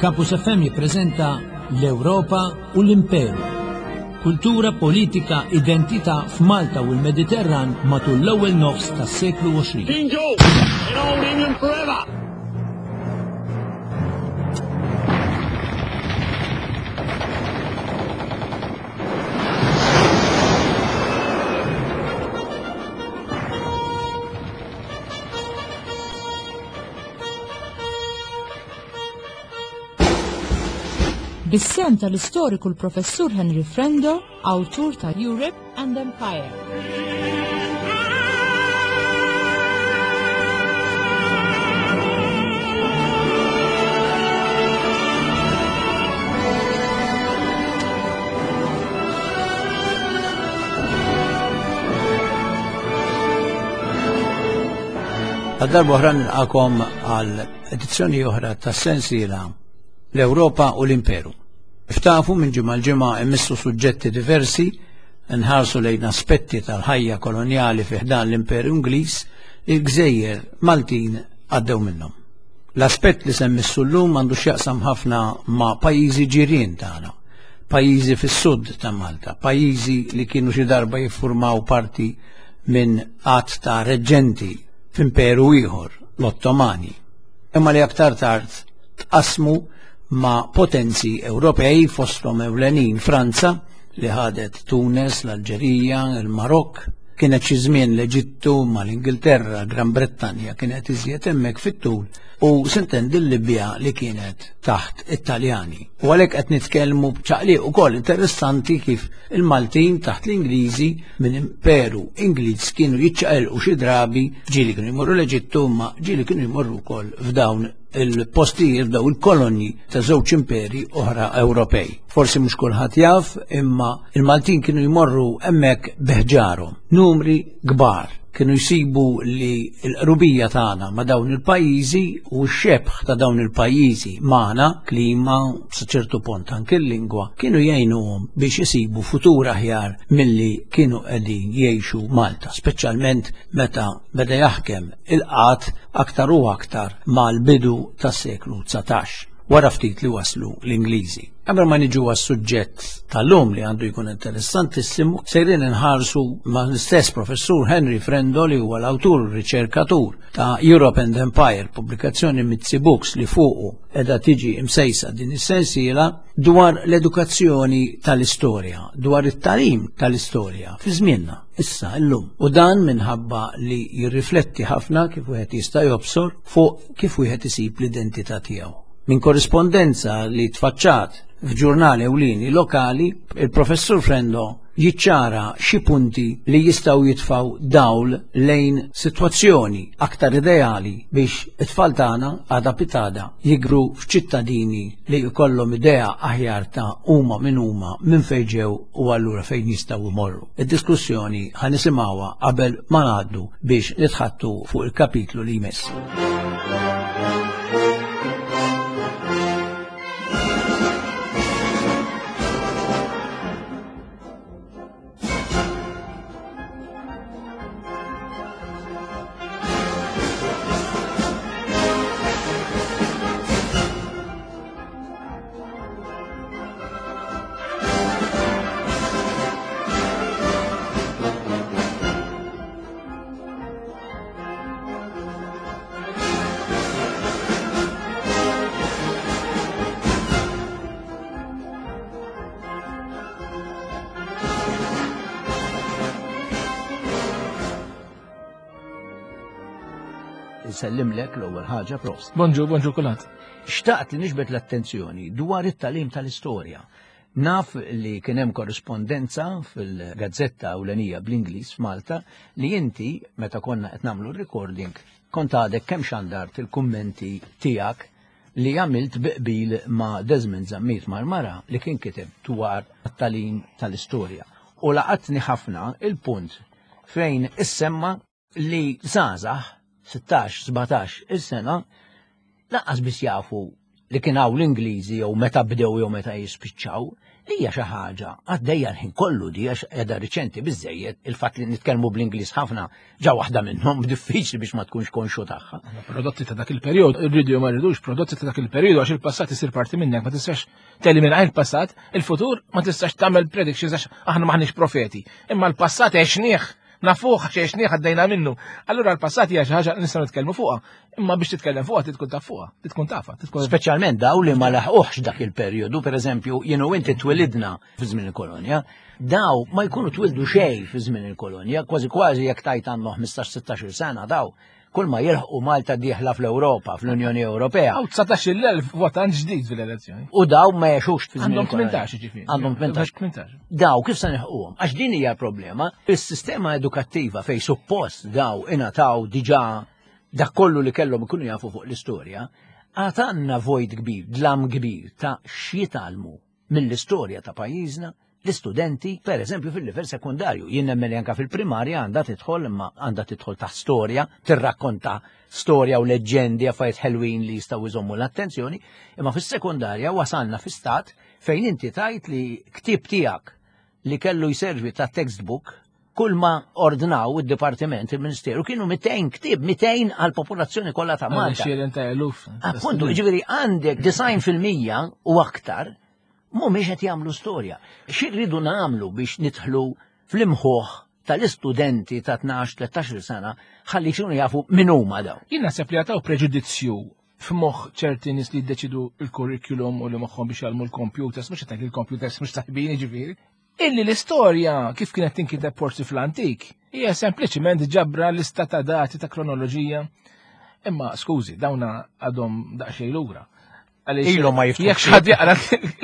Campus FM jippreżenta l-Ewropa u l-Imperu. Kultura, politika, identità f'Malta u l-Mediterran matul l-ewwel nofs tas-seklu 20. King George in old England forever. Bis-sehem tal-istoriku l-Professur Henry Frendo, awtur ta' Europe and Empire. Għal darba oħra nilqakom għal edizzjoni oħra ta' sensiela l-Ewropa u l-Imperu. Ftafu minn ġimgħa l-ġimgħa immissu suġġetti diversi nħarsu lejn aspetti tal-ħajja kolonjali fi ħdan l-Imperu Ingliż li l-gżejjer Maltin għaddew minnhom. L-aspett li semmissu llum għandu x'jaqsam ħafna ma' pajjiżi ġirien tagħna, pajjiżi fis-sud ta' Malta, pajjiżi li kienu xi darba jiffurmaw parti minn għadd ta' reġġenti f'imperu ieħor, l-Ottomani, imma li aktar tard tqassmu ma' potenzi Ewropej fosthom ewlenin Franza li ħadet Tunes, l-Alġerija, il-Marokk, kienet xi żmien l-Eġittu mal-Ingilterra, Gran Brettanja kienet iżjed hemmhekk fit-tul u sintendi l-Libja li kienet taħt it-Taljani. U għalhekk qed nitkellmu b'ċaqliq ukoll interessanti kif il-Maltin taħt l-Ingliżi minn imperu Ingliż kienu jiċċaqilqu xi drabi ġieli kienu jmorru l-Eġittu ma ġieli kienu jmorru wkoll f'dawn il-postijiet f'daw il-kolonji ta' żewġ imperi oħra Ewropej. Forsi mhux kulħadd jaf, imma il-Maltin kienu jmorru hemmhekk beħġarhom, numri kbar. Kienu jsibu li l-qrubija tagħna ma' dawn il-pajjiżi u x-xebħ ta' dawn il-pajjiżi magħna, klima, sa ċertu pont anke l-lingwa, kienu jgħinuhom biex isibu futur aħjar milli kienu qegħdin jgħixu Malta, speċjalment meta beda jaħkem il-qgħad aktar u aktar mal-bidu tas-seklu 19, wara ftit li waslu l-Ingliżi. Qabel ma niġu għas-suġġett tal-lum li għandu jkun interessantissimu, sejrin inħarsu ma' l-istess professur Henry Frendo li huwa l-awtur u riċerkatur ta' Europe and Empire, pubblikazzjoni Mizzi Books li fuqu edha tiġi imsejsa din is-sensiela dwar l-edukazzjoni tal-istorja, dwar it-tagħlim tal-istorja fi żmienna. Issa, illum. U dan minħabba li jirrifletti ħafna kif wieħed jista' jobsor fuq kif wieħed isib l-identità tiegħu. Minn korrispondenza li tfaċċat f'ġurnali ewlieni lokali, il-Professur Frendo jiċċara xi punti li jistgħu jitfgħu dawl lejn sitwazzjoni aktar ideali biex it-tfal tagħna għada pitada jikbru f'ċittadini li jkollhom idea aħjar ta' huma min huma, minn fejn ġew u allura fejn jistgħu jmorru. Id-diskussjoni ħa nisimgħuha qabel ma ngħaddu biex nitħattu fuq il-kapitlu li jmiss. Insellimlek l-ewwel ħaġa prost. Bonġu, bonġu kulħadd. Xtaqt li niġbed l-attenzjoni dwar it-tagħlim tal-istorja. Naf li kien hemm korrispondenza fil-gazzetta ewlenija bl-Ingliż f'Malta li inti meta konna qed nagħmlu r-recording kont għadek kemm xandart il-kummenti tiegħek li għamilt bi qbil ma' Desmond Zammit Marmara li kien kiteb dwar it-tagħlim tal-istorja. U laqatni ħafna il-punt fejn issemma li żgħażagħ 16, 17 il-sena lanqas biss jafu li kien hawn l-Ingliżi jew meta bdew jew meta jispiċċaw. Li hija xi ħaġa għaddejja l-ħin kollu di għax qiegħda riċenti biżejjed il-fatt li nitkellmu bl-Ingliż ħafna ġa waħda minnhom diffiċli biex ma tkunx konxu tagħha. Prodotti ta' dak il-perjodu, irridu jew ma rridux prodotti ta' dak il-perjodu għax il-passat isir parti minnek, ma tistax telimina il-passat, il-futur ma tistax tagħmel predictions għax aħna maħniex profeti. Imma l-passat għexnieh nafuh għax għexnieh għaddejna minnu. Allura l-passat hija xi ħaġa li nistgħu nitkellmu fuqha, imma biex titkellem fuqha tkun taf fuqha, tkun tafha, tkun Speċjalment daw li ma laħquhx dak il-perjodu, pereżempju, jien u inti twilidna fi żmien il-kolonja, daw ma jkunu twildu xejn fi żmien il-kolonja, kważi kważi jekk tajt għandhom 15-16 sena daw kull ma jilħqu Malta dieħla fl-Ewropa, fl-Unjoni Ewropea. Għaw 19.000 votant ġdid fil-elezzjoni. U daw ma jgħixux fi żmien. Għandhom 18 ġifieri. Għandhom 18. 18. Daw kif se nilħquhom? Għax din hija problema. Is-sistema edukattiva fej suppost daw ingħataw diġà dak kollu li kellhom ikunu jafu fuq l-istorja, għad għandna vojt kbir, dlam kbir ta' x'jitgħallmu mill-istorja ta' pajjiżna l-istudenti, per eżempju, fil-livell sekundarju. Jien nemmen li anka fil-primarja għandha tidħol imma għandha tidħol ta' storja, tirrakkonta storja u leġġendi affarijiet ħelwin li jistgħu jżommu l-attenzjoni, imma fis-sekundarja wasalna fi stat fejn inti tajt li ktieb tiegħek li kellu jservi ta' textbook kull ma ordnaw id-dipartiment, il-ministeru, kienu 200 ktieb, 200 għal popolazzjoni kollha ta' Malta. Appuntu, ġifieri għandek 90% u aktar mhumiex qed jagħmlu storja. Xi rridu nagħmlu biex nidħlu fl-imħuħ tal-istudenti ta' 12-13 sena ħalli jkunu jafu min huma daw. Jien naħseb li għataw preġudizzju f'moħħ ċerti nies li jiddeċidu l-curriculum u li moħħhom biex jgħallmu l-computers, mhux qed il-computers mhux tajbin jiġifieri. Illi l-istorja kif kienet tinkiteb forsi fl-antik hija sempliċiment ġabra lista ta' dati ta' kronoloġija. Imma skużi, dawna għadhom daqsxejn lura. Ilhom ma jiftħu. Jekk xi ħadd jaqra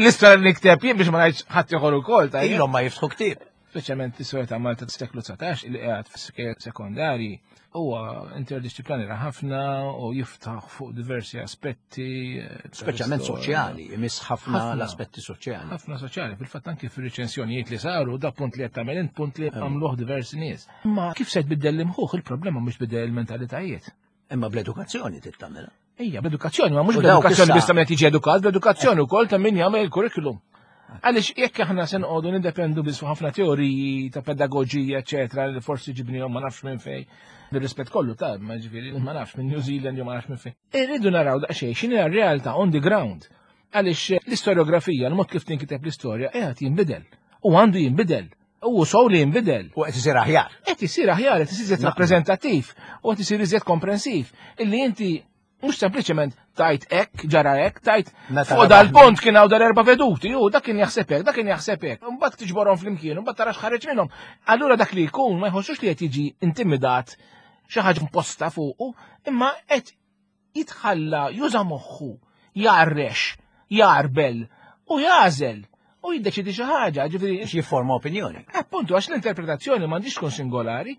l-istorja li nikteb jien biex ma ngħidx ħadd ieħor ukoll. Ilhom ma jiftħu ktieb. Speċjalment l-istorja ta' Malta tas-seklu 19 li qiegħed fis-skejjel sekondarji huwa interdixxiplinari ħafna u jiftaħ fuq diversi aspetti. Eh, Speċjalment soċjali, imiss ħafna l-aspetti soċjali. Ħafna soċjali, fil-fatt anki fir-riċensjonijiet li saru, da punt li qed tagħmel int punt li għamluh diversi nies. Imma kif se tbiddel l-imħuħ il-problema mhux biddel il-mentalitajiet. Imma bl-edukazzjoni trid tagħmilha. Ejja, bl-edukazzjoni, ma mhux bl-edukazzjoni biss ta' min qed jiġi edukat, bl-edukazzjoni wkoll ta' min jagħmel il-curriculum. Għaliex jekk aħna se noqogħdu nindependu biss fuq ħafna teoriji ta' pedagoġija, eċetera, li forsi ġibnihom ma nafx minn fejn, bir-rispett kollu ta' ma ġifieri ma nafx minn New Zealand jew ma nafx minn fejn. Irridu naraw daqsxejn x'inhi r-realtà on the ground. Għaliex l-istorjografija, l-mod kif tinkiteb l-istorja, qiegħed jinbidel. U għandu jinbidel. U sow li jinbidel. U qed isir aħjar. Qed isir aħjar, qed isir iżjed rappreżentattiv u qed isir iżjed komprensiv. Illi inti mhux sempliċement tajt hekk, ġara hekk, tajt fuq dal-pont kien hawn dal-erba' veduti, u dak kien jaħseb hekk, dak kien jaħseb hekk. Imbagħad tiġborhom flimkien, imbagħad tara x'ħareġ minnhom. Allura dak li jkun ma jħossux li qed jiġi intimidat xi ħaġa imposta fuqu, imma qed jitħalla juża moħħu, jgħarrex, jgħarbel u jagħżel u jiddeċidi xi ħaġa, ġifieri. Biex jifforma opinjoni. Appuntu għax l-interpretazzjoni m'għandix tkun singolari,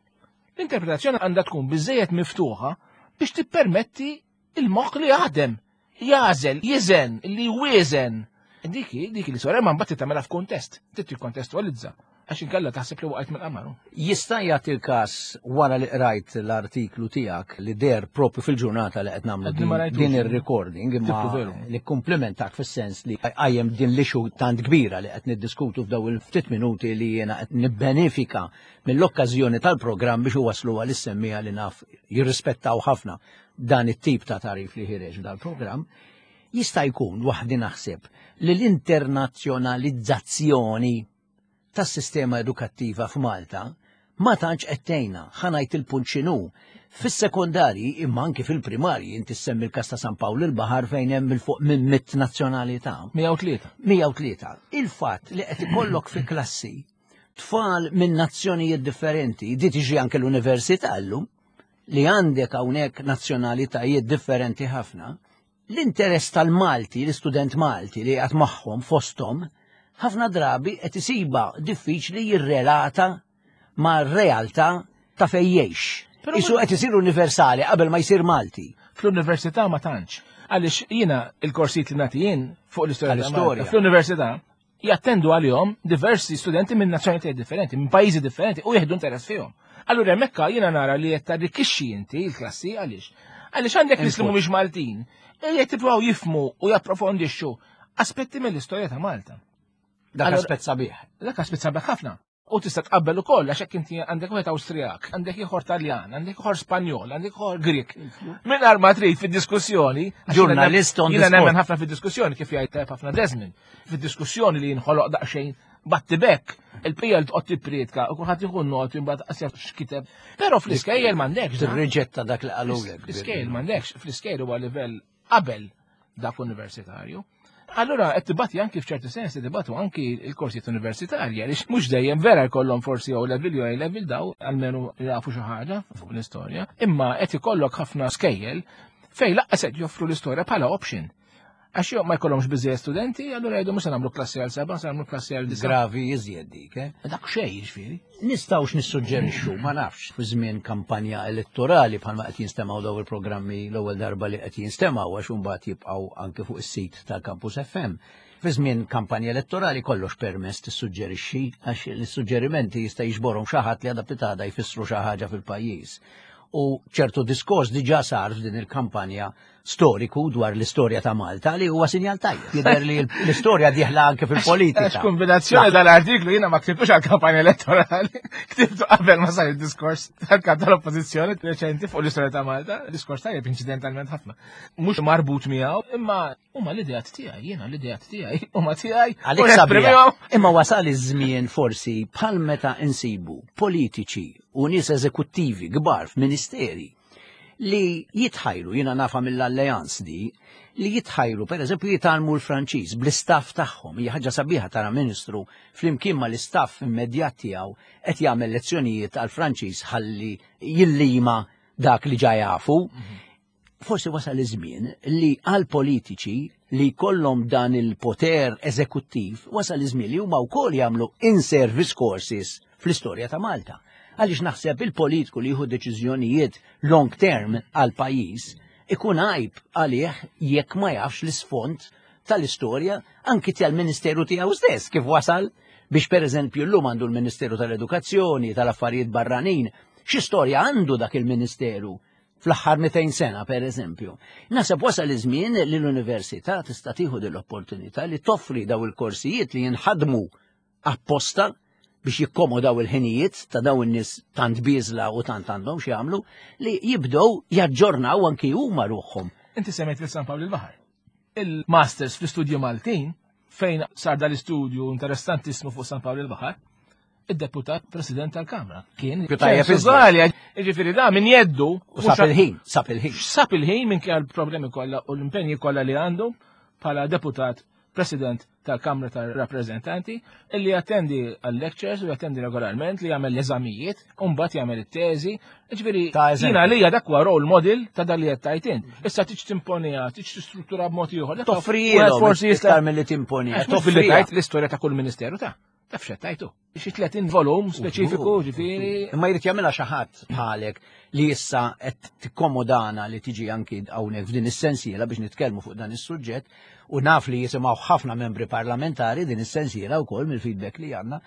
l-interpretazzjoni għandha tkun biżejjed miftuħa biex tippermetti il-moħħ li jaħdem, jagħżel, jiżen, li jwieżen. Dik dik li sora ma mbagħad tagħmilha f'kuntest, trid tikkontestualizza. Għax inkella taħseb li waqgħet mill-qamar. Jista' jagħti l-każ wara li qrajt l-artiklu tiegħek li der propju fil-ġurnata li qed nagħmlu din ir-recording imma li komplimentak fis-sens li qajjem din l-issue tant kbira li qed niddiskutu f'daw il-ftit minuti li jiena qed nibbenefika mill-okkażjoni tal-programm biex iwasslu għal is-semmiegħa li naf jirrispettaw ħafna dan it-tip ta' tagħrif li ħireġ dal-programm. Jista' jkun waħdi naħseb li l-internazzjonalizzazzjoni tas-sistema edukattiva f'Malta ma tantx qed tgħinna, ħa ngħid il-punt x'inhu. Fis-sekondarji imma anki fil-primarji inti ssemmi l-każ ta' San Pawl il-Baħar fejn hemm 'il fuq minn mitt nazzjonalità. 103. 103. Il-fatt li qed ikollok fi klassi tfal minn nazzjonijiet differenti, di tiġi anke l-università llum, li għandek hawnhekk nazzjonalitajiet differenti ħafna, L-interess tal-Malti, l-istudent Malti li qiegħed magħhom fosthom, ħafna drabi qed isibha diffiċli jirrelata mar-realtà ta' fejn jgħix. Isu qed isir universali qabel ma jsir Malti. Fl-università ma tantx. Għaliex jiena il-korsijiet li nagħti jien fuq l-istorja. Fl-università jattendu għalihom diversi studenti minn nazzjonalitajiet differenti, minn pajjiżi differenti u jieħdu interess fihom. Allura hemmhekk jiena nara li qed tarrikkixxi inti l-klassi għaliex. Għaliex għandek nies li mhumiex Maltin, qed jippruvaw jifhmu u japprofondixxu aspetti mill-istorja ta' Malta. Dak aspett sabiħ. Dak aspett sabiħ ħafna. U tista' tqabbel ukoll għax hekk inti għandek wieħed Awstrijak, għandek ieħor Taljan, għandek ieħor Spanjol, għandek ieħor Grek. Mingħajr ma trid fid-diskussjoni, ġurnalist on Jiena nemmen ħafna fid-diskussjoni kif jgħid ħafna Desmond, fid-diskussjoni li jinħoloq daqsxejn battibek, il-pija li tqgħod tippriedka u kulħadd jieħu noti mbagħad qas jaf x'kiteb. Però fl-iskejjel m'għandekx. Tirriġetta dak li qalulek. Fl-iskejjel m'għandekx, fl-iskejjel huwa livell qabel dak universitarju. Allura qed tibati anki f'ċerti sens tibatu anki l-korsijiet universitarji għaliex mhux dejjem vera jkollhom forsi O level jew A level daw almenu jafu xi ħaġa fuq l-istorja, imma qed ikollok ħafna skejjel fejn laqqas qed joffru l-istorja bħala option. Għax jew ma jkollhomx biżejjed studenti, allura jgħidu mhux se nagħmlu klassi għal seba', se nagħmlu klassi għal disa'. Gravi iżjed dik, eh? Dak xejn jiġifieri. Nistgħux nissuġġerixxu, ma nafx, fi żmien kampanja elettorali bħalma qed jinstemgħu daw il-programmi l-ewwel darba li qed jinstemgħu għax imbagħad jibqgħu anke fuq is-sit tal-Campus FM. Fi żmien kampanja elettorali kollox permess tissuġġerixxi għax l-suġġerimenti jista' jiġborhom xi ħadd li għadha pitada jfissru xi ħaġa fil-pajjiż. U ċertu diskors diġà sar f'din il-kampanja storiku dwar l-istorja ta' Malta li huwa sinjal tajjeb. Jidher li l-istorja dieħla anke fil-politika. Għax kombinazzjoni dal-artiklu jiena ma ktibtux għal-kampanja elettorali, ktibtu qabel ma sar id-diskors tal-kap tal-oppożizzjoni reċenti fuq l-istorja ta' Malta, diskors tajjeb inċidentalment ħafna. Mhux marbut miegħu, imma huma l-ideat tiegħi, jiena l-ideat tiegħi, huma tiegħi. Għalik sabiħ. Imma wasal iż-żmien forsi bħal meta insibu politiċi u nies eżekuttivi kbar f'ministeri li jitħajru, jiena nafa mill-alleanz di, li jitħajru, per eżempju, jitgħallmu l-Franċiż bl-istaff tagħhom. Hija ħaġa sabiħa tara ministru flimkien mal-istaff immedjat tiegħu qed jagħmel lezzjonijiet għal Franċiż ħalli jillima dak li ġa jafu. Forsi wasal iż-żmien li għal politiċi li jkollhom dan il-poter eżekuttiv wasal iż-żmien li huma wkoll jagħmlu in-service courses fl-istorja ta' Malta. Għaliex naħseb il-politiku li jieħu deċiżjonijiet long term għal pajjiż ikun għajb għalih jekk ma jafx l-isfond tal-istorja anki tal-Ministeru tiegħu stess kif wasal biex pereżempju llum għandu l-Ministeru tal-Edukazzjoni, tal-Affarijiet Barranin, xi storja għandu dak il-Ministeru fl-aħħar 200 sena per eżempju. Naħseb wasal iż-żmien li l-università tista' tieħu din l-opportunità li toffri daw il-korsijiet li jinħadmu apposta biex jikkomodaw il-ħinijiet ta' daw in-nies tant biżla u tant għandhom x'jagħmlu li jibdew jaġġornaw anki huma ruħhom. Inti semmejt lil San Pawl il-Baħar. Il-Masters fl-istudju Maltin fejn sar dal-istudju interessantissmu fuq San Pawl il-Baħar, id-deputat president tal-Kamra. Kien tajjeb Jiġifieri da min jeddu. U sab il-ħin, sab il-ħin. Sab il-ħin minn kien problemi kollha u l-impenji kollha li għandu bħala deputat president tal-Kamra tal-Rappreżentanti illi jattendi għal-lectures u jattendi regolarment li jagħmel l-eżamijiet u mbagħad jagħmel it-teżi. Ġifieri jiena għalija dak huwa role model ta' dak li qed tgħid int. Issa tiġ timponiha, tiġ tistruttura b'mod ieħor. Toffrijielhom forsi iktar milli timponiha. Toffri l-istorja ta' kull ministeru ta' Taf x'qed Xi 30 volum speċifiku, ġifieri. Imma jrid jagħmilha xi ħadd bħalek li issa qed tikkomodana li tiġi anki hawnhekk f'din is-sensiela biex nitkellmu fuq dan is-suġġett u naf li jisimgħu ħafna membri parlamentari din is-sensiela wkoll mill-feedback li għandna.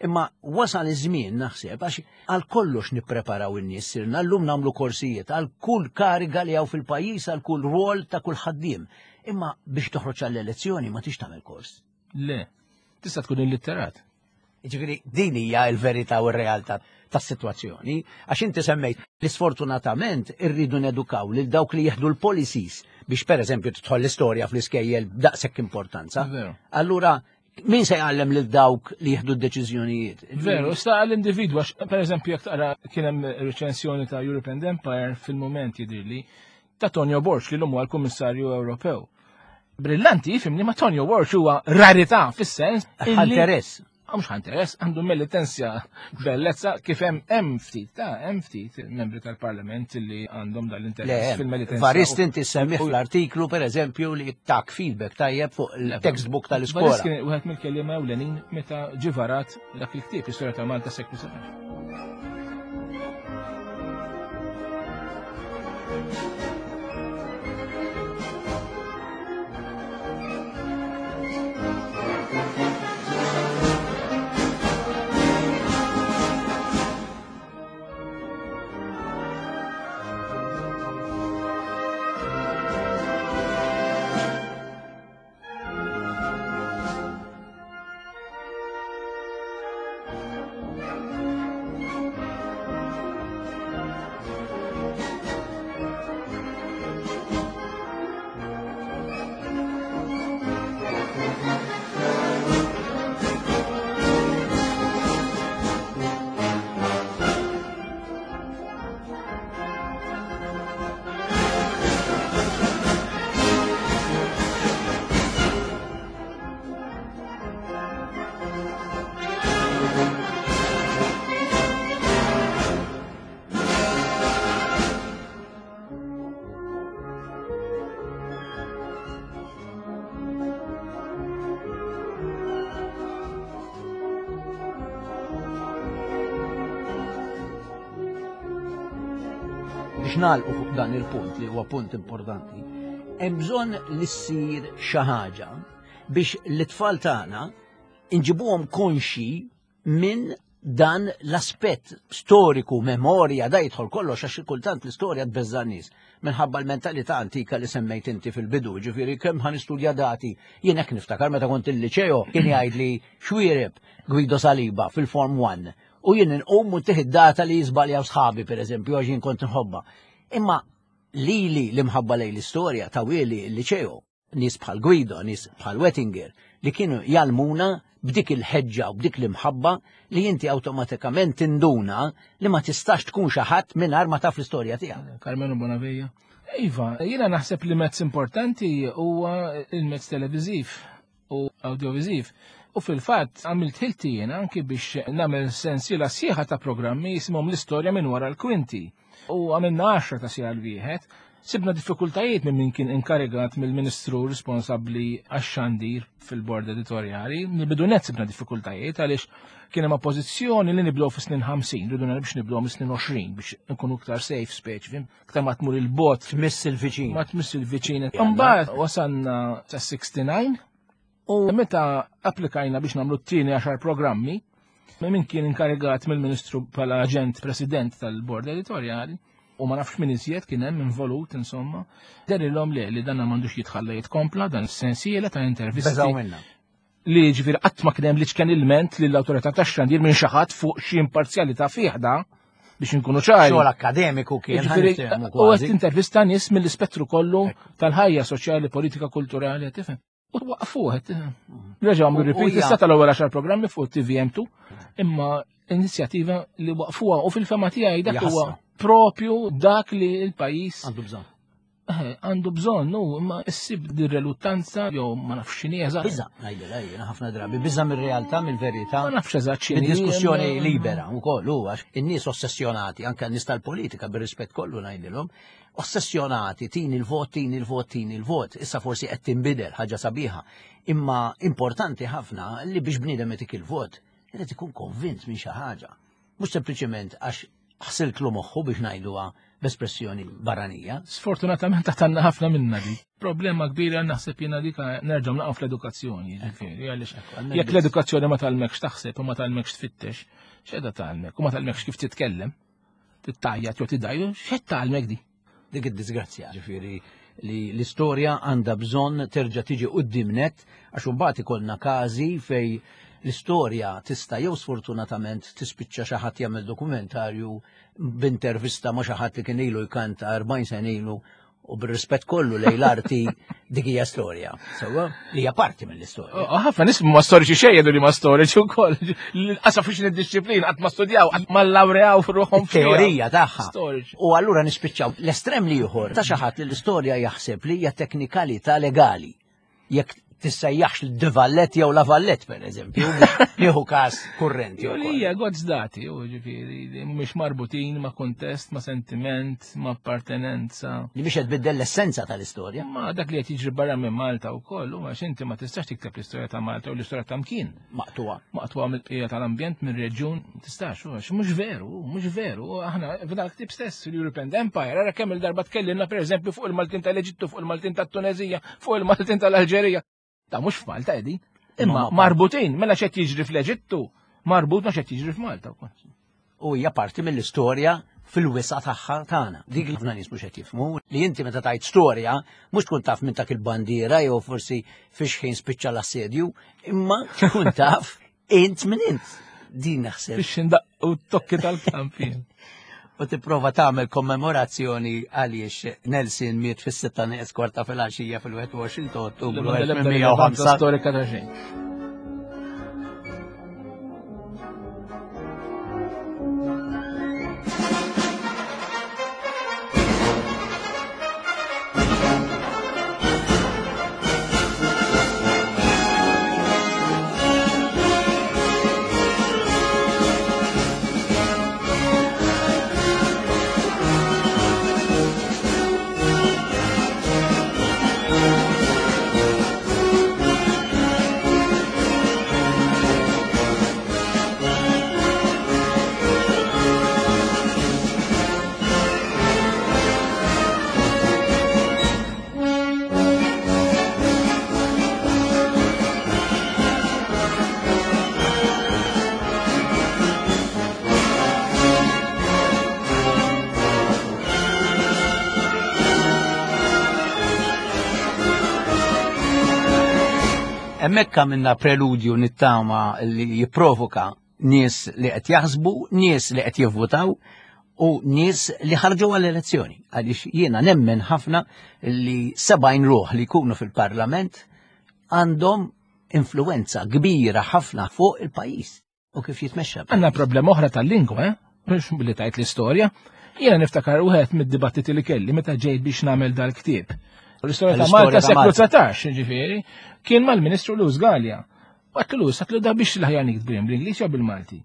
Imma wasal iż-żmien naħseb għax għal kollox nippreparaw in-nies sirna llum nagħmlu korsijiet għal kull kariga li hawn fil-pajjiż għal kull rwol ta' kull ħaddiem. Imma biex toħroġ għall-elezzjoni ma tix tagħmel kors. Le, tista' tkun illitterat. Ġifieri din hija l-verità u r-realtà tas-sitwazzjoni, għax inti semmejt li sfortunatament irridu nedukaw lil dawk li jieħdu l-policies biex pereżempju tidħol l-istorja fl-iskejjel b'daqshekk importanza. Allura min se jgħallem lil dawk li jieħdu d-deċiżjonijiet? Veru, sta għall-individwu, għax pereżempju jekk taqra kien hemm reċensjoni ta' European Empire fil-mument jidhirli ta' Tonio Borg li l-lum huwa l-Kummissarju Ewropew. Brillanti, fimni, ma Tonio Borg huwa rarità fis-sens. Interess. Mhux interess, għandu militenzja bellezza kif hemm hemm ftit ta' hemm ftit membri tal-Parlament li għandhom dal-interess fil-militenzja. Varist inti semmih fl-artiklu pereżempju li tak feedback tajjeb fuq il-textbook tal-iskola. Varist kien wieħed mill-kelliema ewlenin meta ġivarat dak il-ktieb Istorja ta' Malta seklu 17. biex nagħlqu fuq dan il-punt li huwa punt importanti, hemm bżonn li ssir xi ħaġa biex l-itfal tagħna inġibuhom konxi minn dan l-aspett storiku, memorja, da jidħol kollox għax kultant l-istorja tbeżża' nies minħabba l-mentalità antika li semmejt inti fil-bidu, ġifieri kemm ħa nistudja dati. Jien hekk niftakar meta kont il-liċeo kien jgħidli xwiereb Guido Saliba fil-Form 1 u jien inqum u tieħ data li jiżbaljaw sħabi pereżempju għax jien kont nħobba. Imma lili l-imħabba lejn l-istorja ta' wieli l-liċeo nies bħal Guido, nies bħal Wettinger, li kienu jgħallmuna b'dik il-ħeġġa u b'dik l-imħabba li inti awtomatikament tinduna li ma tistax tkun xi ħadd mingħajr ma taf l-istorja tiegħek. Carmelo Bonavija. Iva, jiena naħseb li mezz importanti huwa il-mezz televiżiv u audiovisiv. U fil-fatt għamilt ħilti jiena anki biex nagħmel sensiela sħiħa ta' programmi jisimhom l-istorja minn wara l-kwinti. U għamilna 10 ta' sija l-wieħed. Sibna diffikultajiet minn min kien inkarigat mill-ministru responsabbli għax-xandir fil-bord editorjali. Mill-bidu net sibna diffikultajiet għaliex kien hemm oppożizzjoni li nibdew fis-snin 50, rridu biex nibdew mis-snin 20 biex nkunu iktar safe speċi, fim? Iktar ma tmur il-bot. Tmiss il-viċin. Ma tmiss il-viċin. Imbagħad wasalna sa 69 u meta applikajna biex nagħmlu t-tieni 10 programmi, min kien inkarigat mill-Ministru bħala aġent president tal-bord editorjali, u ma nafx min iżjed kien hemm involut insomma, derilhom le li dan m'għandux jitħalla jitkompla dan is-sensiela ta' intervisti. Beżaw minna. Li ġifieri qatt ma kien hemm li ċken ilment lill-awtorità tax-xandir minn xi ħadd fuq xi imparzjalità fih da biex inkunu ċari. Xogħol akkademiku kien. Ġifieri, u qed intervista nies mill-ispettru kollu tal-ħajja soċjali, politika, kulturali, tifhem. U waqfuh, reġgħu għamlu repeat, issa tal-ewwel 10 programmi fuq TVM2, imma inizjattiva li waqfuha u fil-fema tiegħi dak huwa propju dak li l-pajjiż għandu bżonn. Għandu bżonn, u imma issib din reluttanza jew ma nafx x'inhi eżatt. Biża, ngħidilha jiena ħafna drabi, biża mir-realtà, mill-verità. Ma nafx eżatt x'inhi. Diskussjoni libera wkoll hu għax in-nies ossessjonati, anke n-nies tal-politika bir-rispett kollu ngħidilhom, ossessjonati tini l-vot, tini l-vot, tini l-vot. Issa forsi qed tinbidel ħaġa sabiħa. Imma importanti ħafna li biex bniedem itik il-vot, irid ikun konvint minn xi ħaġa. Mhux sempliċement għax ħsiltlu moħħu biex ngħiduha b'espressjoni barranija. Sfortunatament għatanna ħafna minna di. Problema kbira naħseb jiena dik nerġgħu naqgħu fl-edukazzjoni, ġifieri, għaliex jekk l-edukazzjoni ma tgħallmekx taħseb u ma tgħallmekx tfittex, x'qiegħda tgħallmek u ma tgħallmekx kif titkellem, tittajjat jew tidajju, x'qed tgħallmek di? Dik id-disgrazzja, ġifieri li l-istorja għandha bżonn terġa' tiġi quddiem net għax imbagħad ikollna każi fej l-istorja tista' jew sfortunatament tispiċċa xi ħadd jagħmel dokumentarju b'intervista ma' xi ħadd li kien ilu jkanta 40 sena ilu u bir-rispett kollu lejn l-arti dik hija storja. Sewwa li hija parti mill-istorja. Ħafna nies ma storiċi xejn jgħidu li ma storiċi wkoll. Qasaf fiex id-disciplina qatt ma studjaw, qatt ma laureaw f'ruħhom teorija tagħha. U allura nispiċċaw l-estrem li ieħor ta' xi ħadd li l-istorja jaħseb li hija teknikalità legali. Jekk tissejjaħx l-divallet jew la vallet per eżempju, nieħu każ kurrenti. Li hija godz dati, u ġifieri li mhumiex marbutin ma' kuntest, ma' sentiment, ma' appartenenza. Li biex qed tbiddel l-essenza tal-istorja. Ma dak li qed jiġri barra minn Malta wkoll, u għax inti ma tistax tikteb l-istorja ta' Malta u l-istorja ta' mkien. Maqtuha. Maqtuha mill-bqija tal-ambjent, mir-reġjun, tistax, u għax mhux veru, mhux veru. Aħna f'dan il-ktieb stess, l-European Empire, ara kemm il-darba tkellimna pereżempju fuq il-Maltin tal-Eġittu, fuq il-Maltin tat-Tunezija, fuq il-Maltin tal-Alġerija. Ta' mhux f'Malta qegħdin. Imma marbutin, mela x'qed jiġri fl-Eġittu, marbut ma x'qed jiġri f'Malta wkoll. U hija parti mill-istorja fil-wisa' tagħha tagħna. Dik li ħafna nies mhux qed jifhmu li inti meta tajt storja mhux tkun taf minn dak il-bandiera jew forsi fiex ħin spiċċa l-assedju, imma tkun taf int minn int. Din naħseb. Biex indaqqu t-tokki tal-kampin. U tipprova tagħmel kommemorazzjoni għaliex Nelson miet fis-sitta nieqes kwarta fil-għaxija fil-21 ta' Ottubru 1805. Storika ta' xejn. Hemmhekk għamilna preludju nittama li jipprovoka nies li qed jaħsbu, nies li qed jivvutaw u nies li ħarġu għall-elezzjoni. Għaliex jiena nemmen ħafna li 70 ruħ li jkunu fil-Parlament għandhom influenza kbira ħafna fuq il-pajjiż u kif jitmexxa. Għandna problema oħra tal-lingwa, eh? Mhux billi tajt l-istorja. Jiena niftakar wieħed mid-dibattiti li kelli meta ġejt biex nagħmel dal-ktieb. L-istorja ta' Malta seklu 19, ġifieri, kien mal-Ministru Luz Gallia. Għatlu Luz, għatlu da biex l-ħajja niktbu bl-Ingliż jew bil-Malti.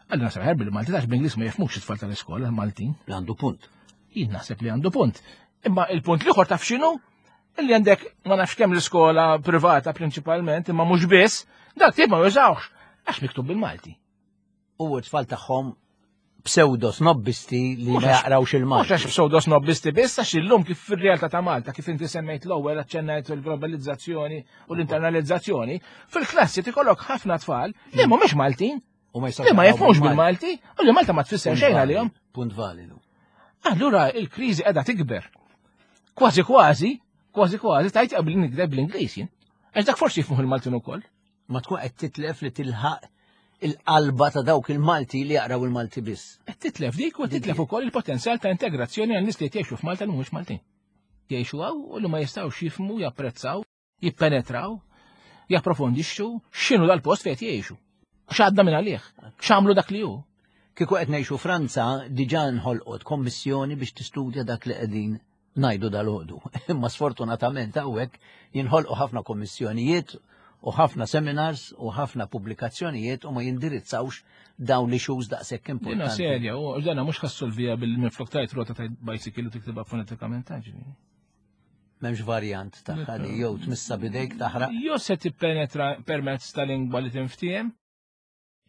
Għalli naħseb ħer bil-Malti, għax bl-Ingliż ma jifmux it-tfal tal-iskola, Maltin. Għandu punt. Jien naħseb li għandu punt. Imma il-punt l-ieħor taf x'inhu? Illi għandek ma nafx kemm l-iskola privata prinċipalment, imma mhux biss, dak tip ma jużawx għax miktub bil-Malti. U t-tfal tagħhom pseudo snobbisti li ma jaqrawx il-Malti. Mhux għax pseudo snobbisti biss għax illum kif fir-realtà ta' Malta kif inti semmejt l-ewwel aċċennajt il-globalizzazzjoni u l-internalizzazzjoni, fil-klassi tikollok ħafna tfal li mhumiex Maltin. U ma li ma jifhmux bil-Malti u li Malta ma tfisser xejn għalihom. Punt validu. Allura il-kriżi qiegħda tikber. Kważi kważi, kważi kważi tajt qabel nikdeb bl-Ingliż jien. Għax dak forsi jifhmuh il-Maltin ukoll. Ma tkun qed titlef li tilħaq il-qalba ta' dawk il-Malti li jaqraw il-Malti biss. Qed titlef dik u titlef ukoll il-potenzjal ta' integrazzjoni għal nies li jgħixu f'Malta li mhumiex Maltin. Jgħixu hawn u li ma jistgħux jifhmu, japprezzaw, jippenetraw, japprofondixxu x'inhu dal-post fejn jgħixu. X'għadda minn għalih, x'għamlu dak li hu. Kieku qed ngħixu Franza diġà nħolqot kommissjoni biex tistudja dak li qegħdin ngħidu dal-għodu. Imma sfortunatament hawnhekk jinħolqu ħafna kommissjonijiet u ħafna seminars u ħafna pubblikazzjonijiet u ma jindirizzawx dawn li issues daqshekk importanti. Dina serja, u dana mhux ħassolvija bil-minflok tajt rota tajt bicycle u tiktibha fonetikament ġifieri. M'hemmx varjant tagħha li jew tmissa bidejk taħraq. Jew se tippenetra permezz ta' lingwa li tinftiehem,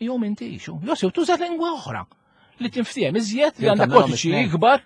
jew m'intix. Jew se tuża lingwa oħra li tinftiehem iżjed li għandha kodiċi ikbar.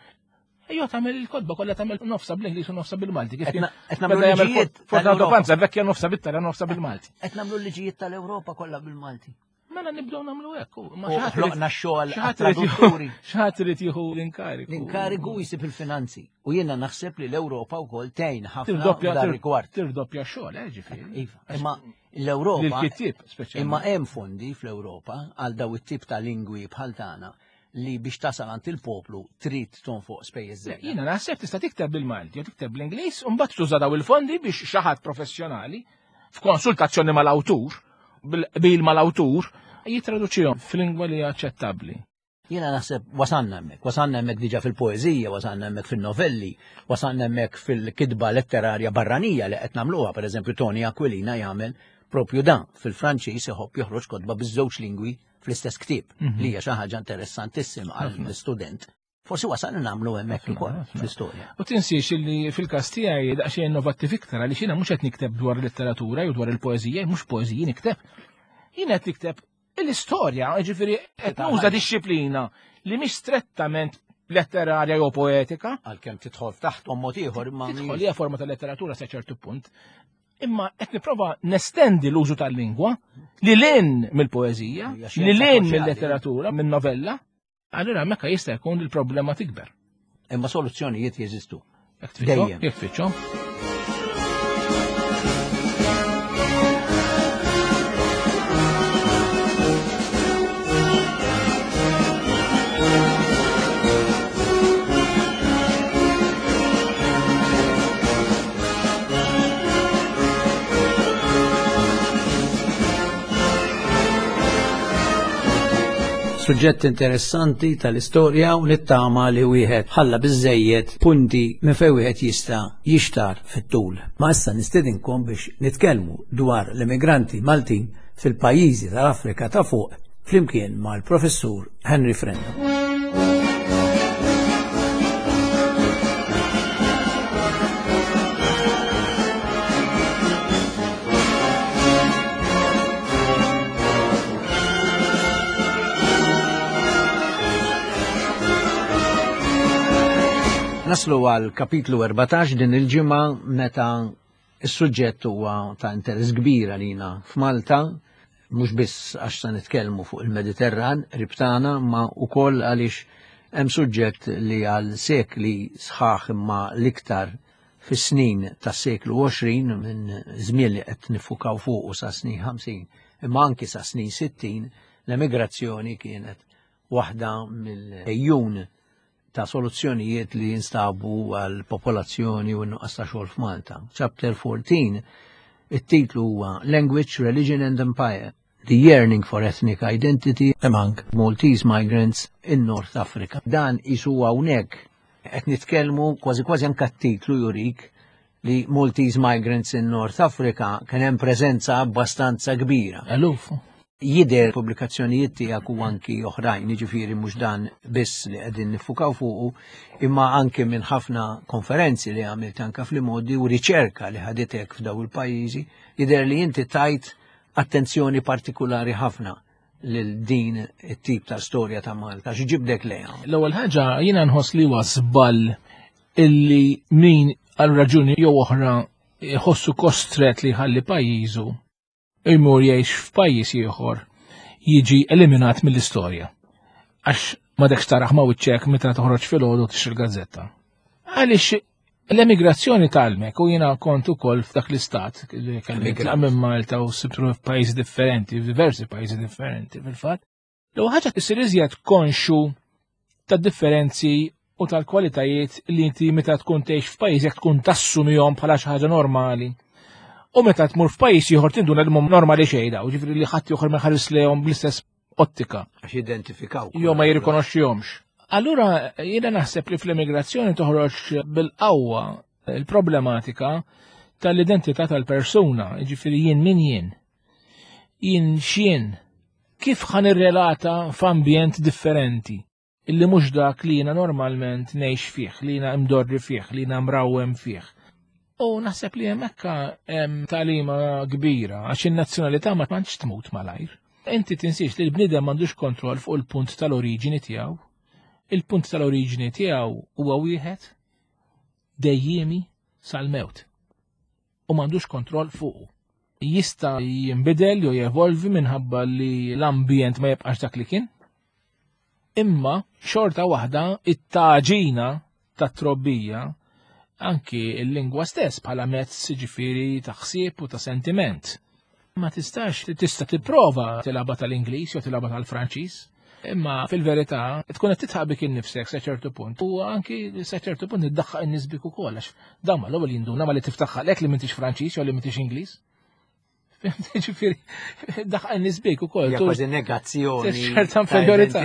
Jew tagħmel il-kotba kollha tagħmel nofsa bl-Ingliż u nofsa bil-Malti. Kif qed nagħmlu liġijiet. Fortunato Panza vecchia nofsa bit-Taljan nofsa bil-Malti. Qed nagħmlu liġijiet tal-Ewropa kollha bil-Malti. Mela nibdew nagħmlu hekk. Ma ħloqna x-xogħol tradutturi. X'ħadd irid jieħu l-inkarigu. L-inkarigu jsib il-finanzi. U jiena naħseb li l-Ewropa wkoll tgħin ħafna f'dan rigward. Tirdoppja x-xogħol, eh, ġifieri. Iva, imma l-Ewropa. L-kittieb speċjalment. Imma hemm fondi fl-Ewropa għal daw it-tip ta' lingwi bħal tagħna li biex tasal għand il-poplu trid tonfoq spejjeż żejda. Jiena naħseb tista' tikteb bil-Malti jew tikteb bl-Ingliż u mbagħad tuża daw il-fondi biex xi ħadd professjonali f'konsultazzjoni mal-awtur, bil-qbil mal-awtur, jitraduċihom f'lingwa li aċċettabbli. Jiena naħseb wasanna hemmhekk, wasanna hemmhekk diġà fil-poeżija, wasanna hemmhekk fin-novelli, wasanna hemmhekk fil-kitba letterarja barranija li qed nagħmluha, pereżempju Tony Aquilina jagħmel propju dan fil-Franċiż iħobb joħroġ kotba biż-żewġ lingwi fl-istess ktieb mhm. li hija xi ħaġa interessantissima għall-istudent. Forsi wasal nagħmlu hemmhekk ukoll fl-istorja. U tinsiex li fil-każ tiegħi daqsxejn innovattiv iktar għaliex jiena mhux qed nikteb dwar letteratura jew dwar il-poeżija, mhux poeżiji nikteb. Jiena qed nikteb l-istorja, ġifieri qed nuża dixxiplina li mhix strettament letterarja jew poetika. Għalkemm tidħol taħt mod ieħor imma tidħol hija forma ta' letteratura sa ċertu punt. Imma qed nipprova nestendi l-użu tal-lingwa li lin mill-poeżija, li lin mill-letteratura, minn-novella, Allura hemmhekk jista' jkun li l-problema tikber. Imma soluzzjonijiet jeżistu. Dejjem. Jekk tfittxhom. Suġġett interessanti tal-istorja u nittama li wieħed ħalla biżejjed punti minn fejn wieħed jista' jixtar fit-tul. Ma issa nistedinkom biex nitkellmu dwar l-immigranti Maltin fil-pajjiżi tal-Afrika ta' fuq flimkien mal-Professur Henry Frendo. Naslu għal kapitlu 14 din il-ġimgħa meta is-suġġett huwa ta' interess kbir għalina f'Malta, mhux biss għax se nitkellmu fuq il-Mediterran qrib tagħna, ma wkoll għaliex hemm suġġett li għal sekli sħaħ imma l-iktar fis-snin tas-seklu 20 minn żmien li qed nifukaw fuqu sa snin 50 imma anki sa snin 60 l-emigrazzjoni kienet waħda mill-ejjun ta' soluzzjonijiet li jinstabu għal popolazzjoni u n-nuqqas ta' xogħol f'Malta. Chapter 14, it-titlu huwa Language, Religion and Empire, The Yearning for Ethnic Identity Among Maltese Migrants in North Africa. Dan isu hawnhekk qed nitkellmu kważi kważi anke t-titlu jurik li Maltese Migrants in North Africa kien hemm preżenza abbastanza kbira. Eluf. Jidher pubblikazzjonijiet tiegħek u anki oħrajn, jiġifieri mhux dan biss li qegħdin nifukaw fuqu, imma anki minn ħafna konferenzi li għamilt anka fl-modi u riċerka li ħaditek f'daw il-pajjiżi, jidher li inti tajt attenzjoni partikulari ħafna lil din it-tip ta' storja ta' Malta, x'ġibdek lejha? L-ewwel ħaġa jiena nħoss li huwa żball illi min għal raġuni jew oħra jħossu kostret li jħalli pajjiżu imur jgħix f'pajjiż ieħor jiġi eliminat mill-istorja. Għax ma dekx taraħ ma wiċċek meta toħroġ filgħodu tixtri l-gazzetta. Għaliex l-emigrazzjoni talmek u jiena kont ukoll f'dak l-istat li kelli minn Malta u sibtu f'pajjiżi differenti, f'diversi pajjiżi differenti fil-fatt. L-ewwel ħaġa tisir iżjed konxu tad-differenzi u tal-kwalitajiet li inti meta tkun tgħix f'pajjiżek tkun tassumihom bħala xi ħaġa normali. U meta tmur f'pajjiż ieħor tinduna li mhum normali xejn daw, ġifieri li ħadd ieħor ma jħares lejhom bl-istess ottika. Għax identifikaw. Jew ma jirrikonoxxihomx. Allura jiena naħseb li fl-immigrazzjoni toħroġ bil-qawwa il-problematika tal-identità tal-persuna, ġifieri jien min jien. Jien x'jien, kif ħan irrelata f'ambjent differenti illi mhux dak li jiena normalment ngħix fih, li jiena imdorri fih, li jiena mrawwem fih. U naħseb li hemmhekk hemm tagħlima kbira għax in-nazzjonalità ma tantx tmut malajr. Inti tinsiex li l-bniedem m'għandux kontroll fuq il-punt tal-oriġini tiegħu. Il-punt tal-oriġini tiegħu huwa wieħed dejjiemi sal-mewt. U m'għandux kontroll fuqu. Jista' jinbidel jew jevolvi minħabba li l-ambjent ma jibqax dak li kien. Imma xorta waħda it-taġina tat-trobbija anki l-lingwa stess bħala mezz ġifieri ta' ħsieb u ta' sentiment. Ma tistax tista' tipprova tilgħabha tal-Ingliż jew tilgħabha tal-Franċiż, imma fil-verità tkun qed titħaq bik innifsek sa ċertu punt u anki sa ċertu punt iddaħħaq in-nies bik ukoll għax dawn mal-ewwel jinduna ma li tiftaħ ħalqek li m'intix Franċiż jew li m'intix Ingliż. Ġifieri, daħqa n-nies bik ukoll. Hija kważi negazzjoni. Ċerta inferjorità.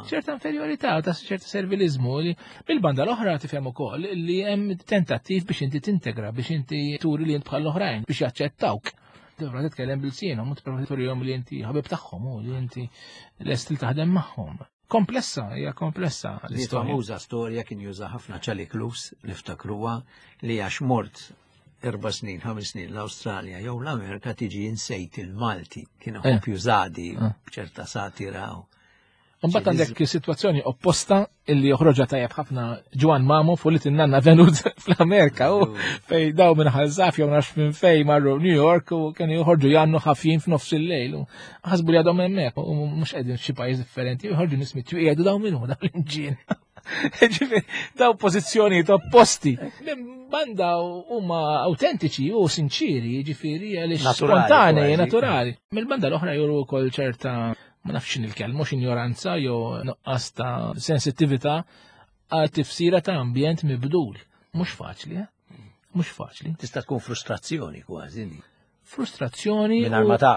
Ċerta inferjorità ta' ċerta servilizmu li bil-banda l-oħra tifhem ukoll li hemm tentattiv biex inti tintegra, biex inti turi li int bħal oħrajn biex jaċċettawk. Tipprova titkellem bil-sienhom u tipprova turihom li inti ħabib tagħhom u li inti lest li taħdem magħhom. Komplessa, hija komplessa l-istorja. Famuża storja kien juża ħafna Charlie Klus niftakruha li għax mort 4 snin, 5 snin l-Awstralja jew l-Amerika tiġi insejt il-Malti, kien ħobb jużadi b'ċerta satira. Mbagħad għandek sitwazzjoni opposta illi joħroġha tajjeb ħafna Ġwan Mamo fuq li tinnanna venut fl-Amerika u fej daw minn Ħażaf jew nafx minn fej marru New York u kienu joħorġu jannu ħafjin f'nofs il-lejl u ħasbu li għadhom hemmhekk u mhux qegħdin f'xi pajjiż differenti u joħorġu nies mitwieq jgħidu daw min hu daw l-inġien. Ġifieri, daw pożizzjonijiet opposti. Minn banda huma autentiċi u sinċiri, ġifieri għaliex spontanei, naturali. Mill-banda l-oħra juru wkoll ċerta ma nafx x'inhi l-kelma, mhux injoranza jew nuqqas ta' sensittività għal tifsira ta' ambjent mibdul. Mhux faċli, eh? Mhux faċli. Tista' tkun frustrazzjoni kważi. Frustrazzjoni